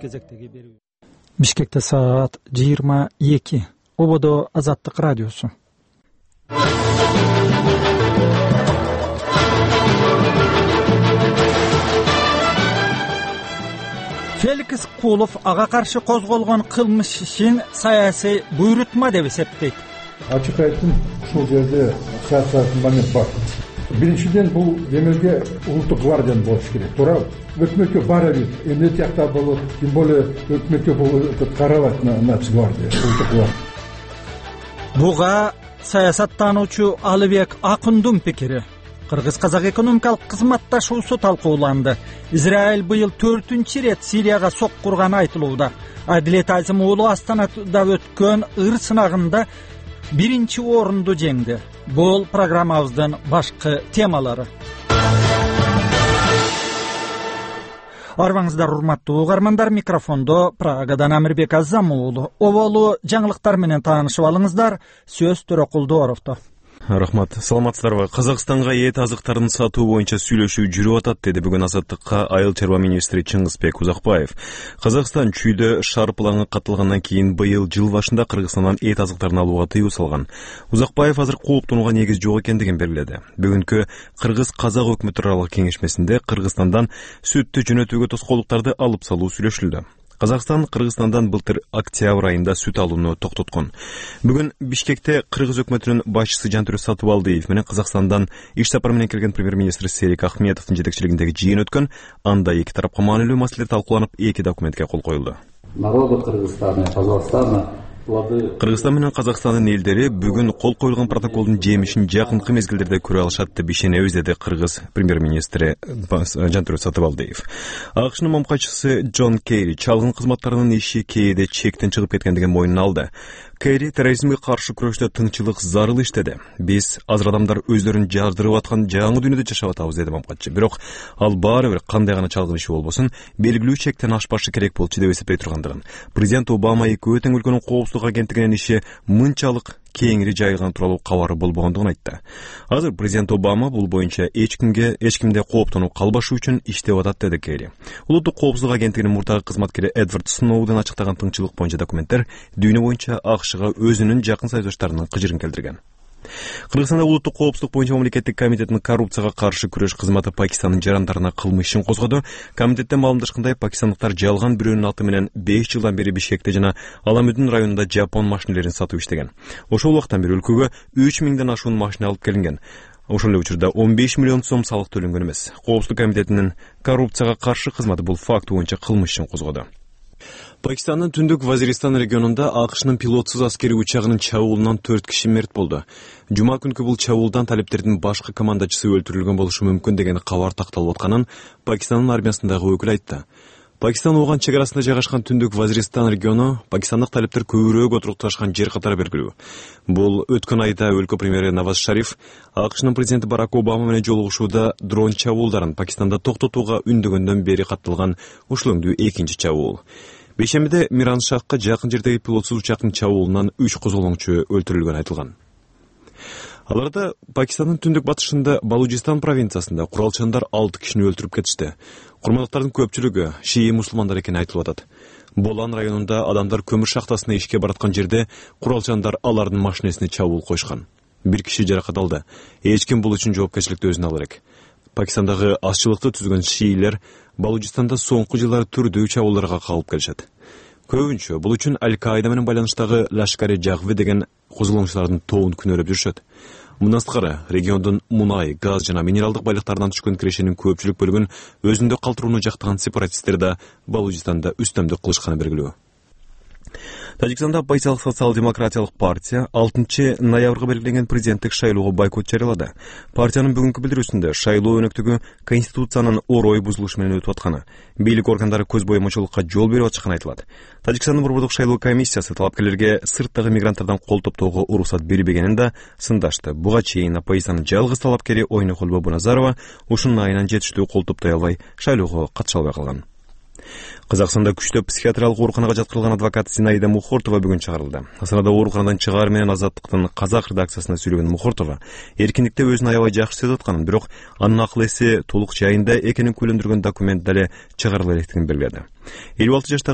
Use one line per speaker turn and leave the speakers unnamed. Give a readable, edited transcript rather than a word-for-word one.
кезектеги берүү. Бишкекте саат 22. Ободо Азаттык радиосу. Феликс Кулов ага каршы козголгон кылмыш ишин саясий буйрутма деп эсептейт.
Ачык айттым, ушул жерде саясий момент бар. Биринчиден бул демелге улуттук гвардия болуш керек. Туурабы? Өкмөткө бара бир, эмне тиякта болот, тем более өкмөткө бул карабайт нацгвардия, улуттук гвардия.
Буга саясаттануучу Алыбек Акындун пикири. Кыргыз-казак экономикалык кызматташуусу талкууланды. Израиль быйыл 4-рет Сирияга соккурганы айтылууда. Адилет Азим уулу Астанада өткөн ыр сынагында 1-орунду жеңди. Бул программабыздын башкы темалары. Арбаңыздар урматтуу угармандар, микрофондо Прагадан Амирбек Азам уулу. Оболу жаңылыктар менен таанышып алыңыздар. Сөз Төрөкулдуоровдо.
Рахмат. Саламатсыздарбы? Казакстанга эт азыктарын сатуу боюнча сүйлөшүү жүрүп атат, деди бүгүн Азаттыкка айыл чарба министри Чыңгызбек Узакбаев. Казакстан чүйдө шаар планы катталгандан кийин быйыл жыл башында Кыргызстандан эт азыктарын алууга тыюу салган. Узакбаев азыр кооптонууга негиз жок экендигин белгиледи. Бүгүнкү Кыргыз-Казак өкмөттөр аралык кеңешмесинде Кыргызстандан сүттү жөнөтүүгө тоскоолдуктарды алып салуу сүйлөшүлдү. Казакстан Кыргызстандан былтыр октябрь айында сүт алууну токтоткон. Бүгүн Бишкекте Кыргыз өкмөтүнүн башчысы Жантүрө Сатыбалдиев менен Казакстандан иш сапары менен келген премьер-министр Серик Ахметовдун жетекчилигиндеги жыйын өткөн. Анда эки тарапка маанилүү маселелер талкууланып, эки документке кол коюлду.
Народу Кыргызстана и Казакстана
Кыргызстан менен Казакстандын элдери бүгүн кол коюлган протоколдун жемишин жакынкы мезгилдерде көрө алышат деп ишенебиз, деди Кыргыз премьер-министри Жантүрө Сатыбалдиев. АКШнын мамкачысы Джон Керри чалгын кызматтарынын иши кээде чектен чыгып кеткендигин мойнуна алды. Керри терроризмге каршы күрөштө тынчылык зарыл иштеди. Биз азыр адамдар өздөрүн жардырып аткан жаңы дүйнөдө жашап атабыз, деди мамкачы. Бирок ал баары бир кандай гана чалгын иши болбосун, белгилүү чектен ашпашы керек болчу деп эсептей тургандыгын. Президент Обама экөө тең өлкөнүн коопсуздук агенттигинин иши мынчалык кеңири жайылган тууралуу кабары болбогондугун айтты. Азыр президент Обама бул боюнча эч кимде кооптонуу калбашы үчүн иштеп атат, деди Керри. Улуттук коопсуздук агенттигинин мурдагы кызматкери Эдвард Сноуден ачыктаган тыңчылык боюнча документтер дүйнө боюнча АКШга өзүнүн жакын саектештарынын кыжырын келтирген. Кыргызстанда улуттук коопсуздук боюнча мамлекеттик комитеттин коррупцияга каршы күрөш кызматы Пакистандын жарандарына кылмыш ишин козгоду. Комитеттен маалымдашкандай, пакистандыктар жалган бирөөнүн аты менен 5 жылдан бери Бишкекте жана Аламүдүн районунда жапон машинелерин сатып иштеген. Ошол убактан бери өлкөгө 3000ден ашуун машина алып келинген. Ошол эле учурда 15 миллион сом салык төлөнгөн эмес. Коопсуздук комитетинин коррупцияга каршы кызматы бул факт боюнча кылмыш ишин козгоду. Пакистандын түндүк Вазиристан регионунда АКШнын пилотсуз аскери учагынын чабуулунан 4 киши мерт болду. Жума күнкү бул чабуулдан талептердин башкы командачысы өлтүрүлгөн болушу мүмкүн деген кабар такталып атканын Пакистандын армиясындагы өкүл айтты. Пакистан Ооган чек арасында жайгашкан түндүк Вазиристан региону Пакистандык талептер көбүрөөк отурукташкан жер катары белгилүү. Бул өткөн айда өлкө премьери Наваз Шариф АКШнын президенти Барак Обама менен жолугушууда дрон чабуулдарын Пакистанда токтотууга үндөгөндөн бери катталган ушул өңдүү экинчи чабуул. Бейшембиде Миран Шахка жакын жердеги пилотсуз учактын чабуулунан 3 козголоңчу өлтүрүлгөн айтылган. Аларда Пакистандын түндүк батышында Балуджистан провинциясында куралчандар 6 кишини өлтүрүп кетишти. Курмандыктардын көпчүлүгү шии мусулмандар экени айтылып атат. Болан районунда адамдар көмүр шахтасына ишке бараткан жерде куралчандар алардын машинесине чабуул коюшкан. 1 киши жаракат алды. Эч ким бул үчүн жоопкерчиликти өзүнө алыр элек. Пакистандагы азчылыкты түзгөн шиилер Балуджистанда соңку жылдары түрдүү чабуулдарга калып келишет. Көбүнчө бул үчүн Аль-Каида менен байланыштагы Лашкари Жагви деген козголоңчулардын тобун күнөөлөп жүрүшөт. Мындан сырткары региондун мунай, газ жана минералдык байлыктарынан түшкөн кирешенин көпчүлүк бөлүгүн өзүндө калтырууну жактаган сепаратисттер да Балуджистанда үстөмдүк кылышканы белгилүү. Тажикстанда оппозициялык социал-демократиялык партия 6-ноябрга белгиленген президенттик шайлоого бойкот жарыялады. Партиянын бүгүнкү билдирүүсүндө шайлоо өнөктүгү конституциянын орой бузулушу менен өтүп атканы, бийлик органдары көз боемочулукка жол берип атышканы айтылат. Тажикстандын борбордук шайлоо комиссиясы талапкерлерге сырттагы мигранттардан кол топтоого уруксат бербегенин да сындашты. Буга чейин оппозициянын жалгыз талапкери Ойнохол Бобуназарова ушунун айынан жетиштүү кол топтой албай шайлоого катыша албай калган. Казакстанда күчтүү психиатриялык ооруканага жаткырылган адвокат Зинаида Мухортова бүгүн чыгарылды. Астанада ооруканадан чыгаар менен Азаттыктын казак редакциясына сүйлөгөн Мухортова эркиндикте өзүн аябай жакшы сезип атканын, бирок анын акыл эси толук жайында экенин күйлөндүргөн документ дале чыгарыла электигин белгиледи. 56 жаштагы